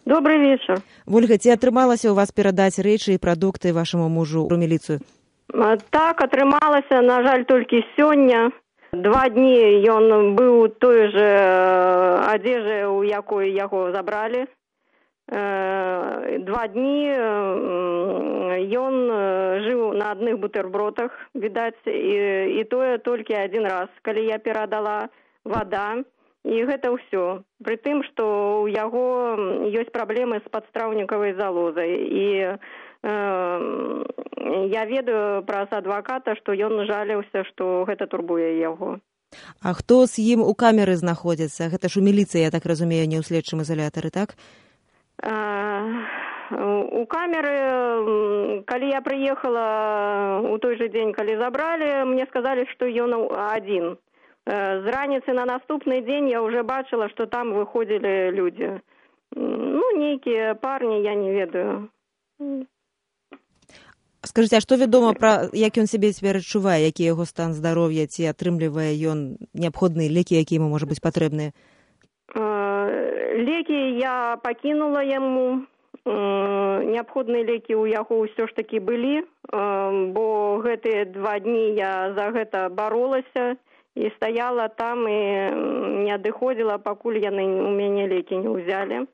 Добрый вечер. Вольга, ці атрымалася ў вас перадаць рэчы і прадукты вашаму мужу ў міліцыю? Так, атрымалася, на жаль, толькі сёння. 2 дні ён быў у той же адзежы, у якой яго забралі. 2 дні ён жыў на адных бутербродах, відаць, і тое толькі адзін раз, калі я перадала вада, і гэта ўсё. Пры тым, што ў яго ёсць праблемы з падстраўнікавай залозай, і я ведаю праз адваката, што ён жаліўся, што гэта турбуе яго. А хто з ім у камеры знаходзіцца? Гэта ж у міліцыі, я так разумею, не ў следчым ізалятары, так? У камеры, калі я прыехала у той же дзень, калі забралі, мне сказалі, што ён адзін. З раніцы на наступны дзень я ўжо бачыла, што там выходзілі людзі. Нейкія парні, я не ведаю. Скажыце, а што вядома пра, як ён сябе цяпер адчувае, які яго стан здароўя, ці атрымлівае ён неабходныя лекі, якія яму, можа быць, патрэбныя? Лекі я пакінула яму. Неабходныя лекі ў яго ўсё ж такі былі, бо гэтыя 2 дні я за гэта баролася і стаяла там і не адыходзіла, пакуль яны у мяне лекі не ўзялі.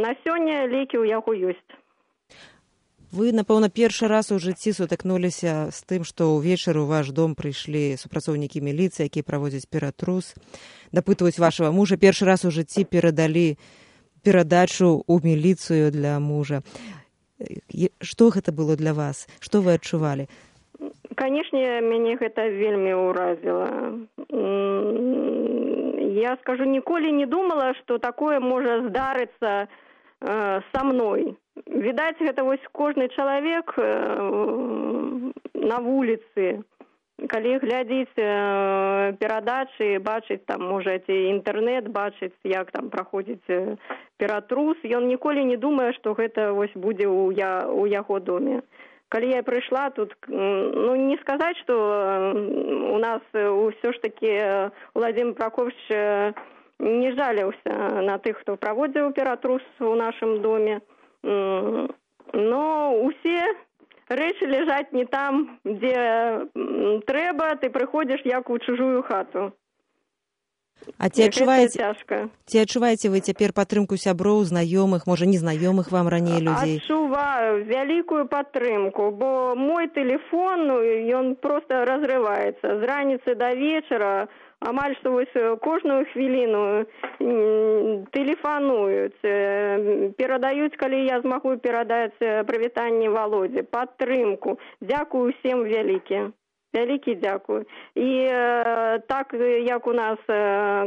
На сёння лекі ў яго ёсць. Вы, напэўна, першы раз у жыцці сутыкнуліся з тым, што ўвечары ў ваш дом прыйшлі супрацоўнікі міліцыі, якія праводзяць ператрус, дапытваюць вашага мужа. Першы раз у жыцці перадалі перадачу ў міліцыю для мужа. Што гэта было для вас? Што вы адчувалі? Канешне, мяне гэта вельмі ўразіла. Я скажу, ніколі не думала, што такое можа здарыцца са мной. Відаць, гэта вось кожны чалавек на вуліцы, калі глядзіць перадачы, бачыць там, можа, інтэрнэт, бачыць, як там праходзіць ператрус, ён ніколі не думае, што гэта вось будзе ў яго доме. Калі я прыйшла тут, не сказаць, што у нас ўсё ж такі Владимир Прокофьевич не жаліўся на тых, хто праводзіў ператрус у нашым доме. Но усе рэчы ляжаць не там, дзе трэба, ты прыходзіш як у чужую хату. А ці адчуваеце вы цяпер падтрымку сяброў, знаёмых, можа, незнаёмых вам раней людзей? Адчуваю вялікую падтрымку, бо мой тэлефон, ён проста разрываецца. З раніцы да вечара амаль што вось кожную хвіліну тэлефануюць, перадаюць, калі я змагу перадаць прывітанне Володзе, падтрымку. Дзякую усім вялікі. Вялікі дзякую. І так, як у нас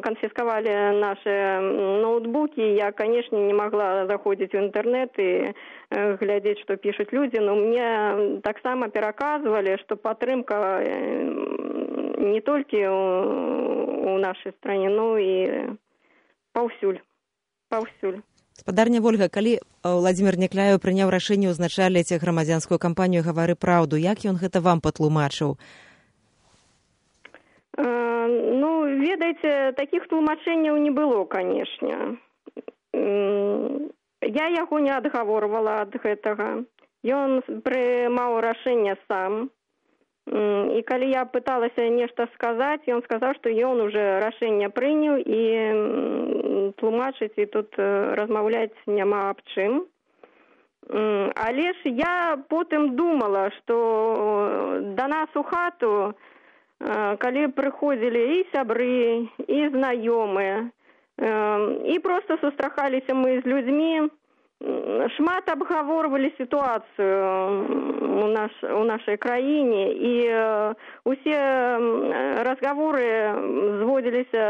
канфіскавалі нашы ноутбукі, я, канешне, не магла заходзіць у інтэрнэт і глядзець, што пішуць людзі, но мне таксама пераказвалі, што падтрымка не толькі у нашай стране, но і паўсюль. Спадарня Вольга, калі Владимир Някляеў прыняў рашэнне ўзначаліць грамадзянскую кампанію «Гавары праўду», як ён гэта вам патлумачыў? Ведаеце, такіх тлумачэнняў не было, канешне. Я яго не адгаворвала ад гэтага. Ён прымаў рашэнне сам. І калі я пыталася нешта сказаць, ён сказаў, што ён уже рашэнне прыняў і тлумачыць і тут размаўляць няма аб чым. Але ж я потым думала, што да нас у хату, калі прыходзілі і сябры, і знаёмыя, і проста сустракаліся мы з людзьмі, шмат абгаворвалі сітуацыю у нашай краіне, і усе разгаворы зводзіліся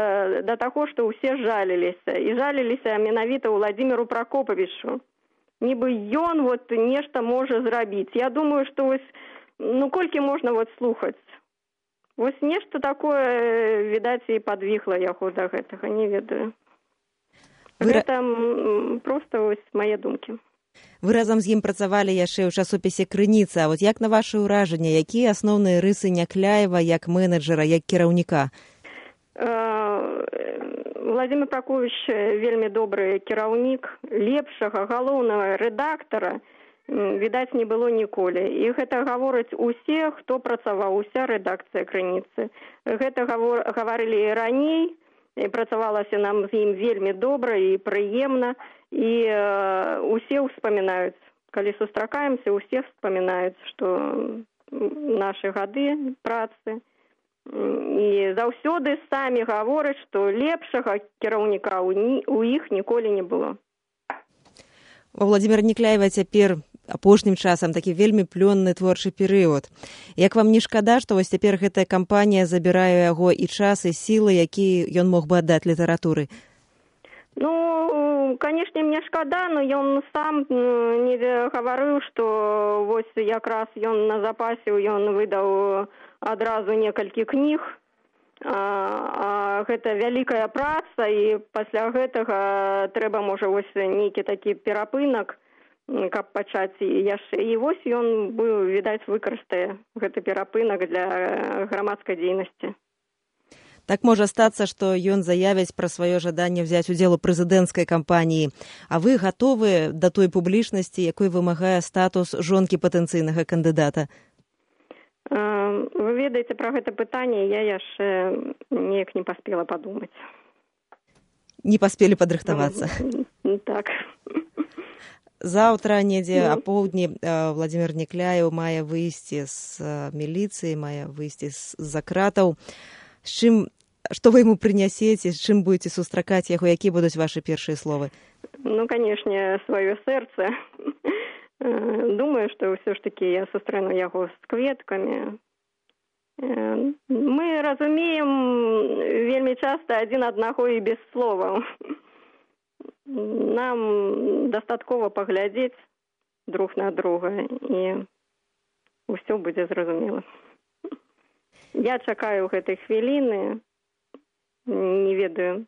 да таго, што ўсе жаліліся. І жаліліся менавіта Владимиру Прокоповичу. Нібы ён вот нешта можа зрабіць. Я думаю, што вось, колькі можна вот слухаць? Вось нешта такое, відаць, і падвіхла яго да гэтага, не ведаю. Гэта проста вось мае думкі. Вы разам з ім працавалі яшчэ ў часопісе «Крыніца». А вот як на ваше ўражанне, якія асноўныя рысы Някляева як менеджера, як кіраўніка? Владимир Прокофьевич вельмі добры кіраўнік, лепшага галоўнага рэдактара, відаць, не было ніколі. І гэта гавораць усе, хто працаваў, уся рэдакцыя «Крыніцы». Гэта гаварылі і раней, і працавалася нам з ім вельмі добра і прыемна, і усе ўспамінаюць. Калі сустракаемся, усе ўспамінаюць, што нашы гады працы. І заўсёды самі гавораць, што лепшага кіраўніка у іх ніколі не было. У Владимира Некляева цяпер апошнім часам такі вельмі плённы творчы перыяд. Як вам не шкада, што вось цяпер гэтая кампанія забірае яго і час, і сілы, які ён мог бы аддаць літаратуры? Ну, канешне, мне шкада, но ён сам не гаварыў, што вось якраз ён на запасе, ён выдаў адразу некалькі кніг, гэта вялікая праца, і пасля гэтага трэба, можа, вось нейкі такі перапынак, каб пачаць яшчэ. І вось ён быў, відаць, выкарыстае гэты перапынак для грамадскай дзейнасці. Так можа стацца, што ён заявіць пра сваё жаданне взяць удзел у прэзідэнцкай кампаніі. А вы гатовы да той публічнасці, якой вымагае статус жонкі патэнцыйнага кандыдата? Вы ведаеце, пра гэта пытанне я яшчэ неяк не паспела падумаць. Не паспелі падрыхтавацца? Так. Заўтра, недзе апоўдні, Владимир Некляеў мае выйсці з міліцыі, мае выйсці з-за кратаў. З чым, што вы яму прынясеце, з чым будзеце сустракаць яго, якія будуць вашы першыя словы? Ну, канешне, сваё сэрца. Думаю, што ўсё ж такі я сустрэну яго з кветкамі. Мы разумеем вельмі часта адзін аднаго і без словаў. Нам дастаткова паглядзець друг на друга, і ўсё будзе зразумела. Я чакаю гэтай хвіліны, не ведаю,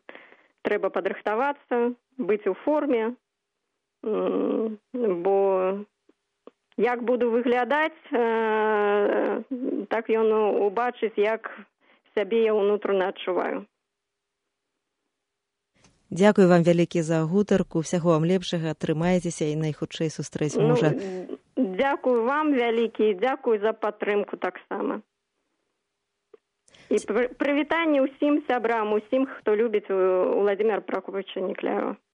трэба падрыхтавацца, быць у форме, бо як буду выглядаць, так ён убачыць, як сябе я ўнутрана адчуваю. Дзякую вам вялікі за гутарку, усяго вам лепшага, трымайцеся і найхутчэй сустрэць мужа. Дзякую вам вялікі, дзякую за падтрымку таксама. І прывітанне ўсім сябрам, усім, хто любіць Владимира Прокофьевича Некляева.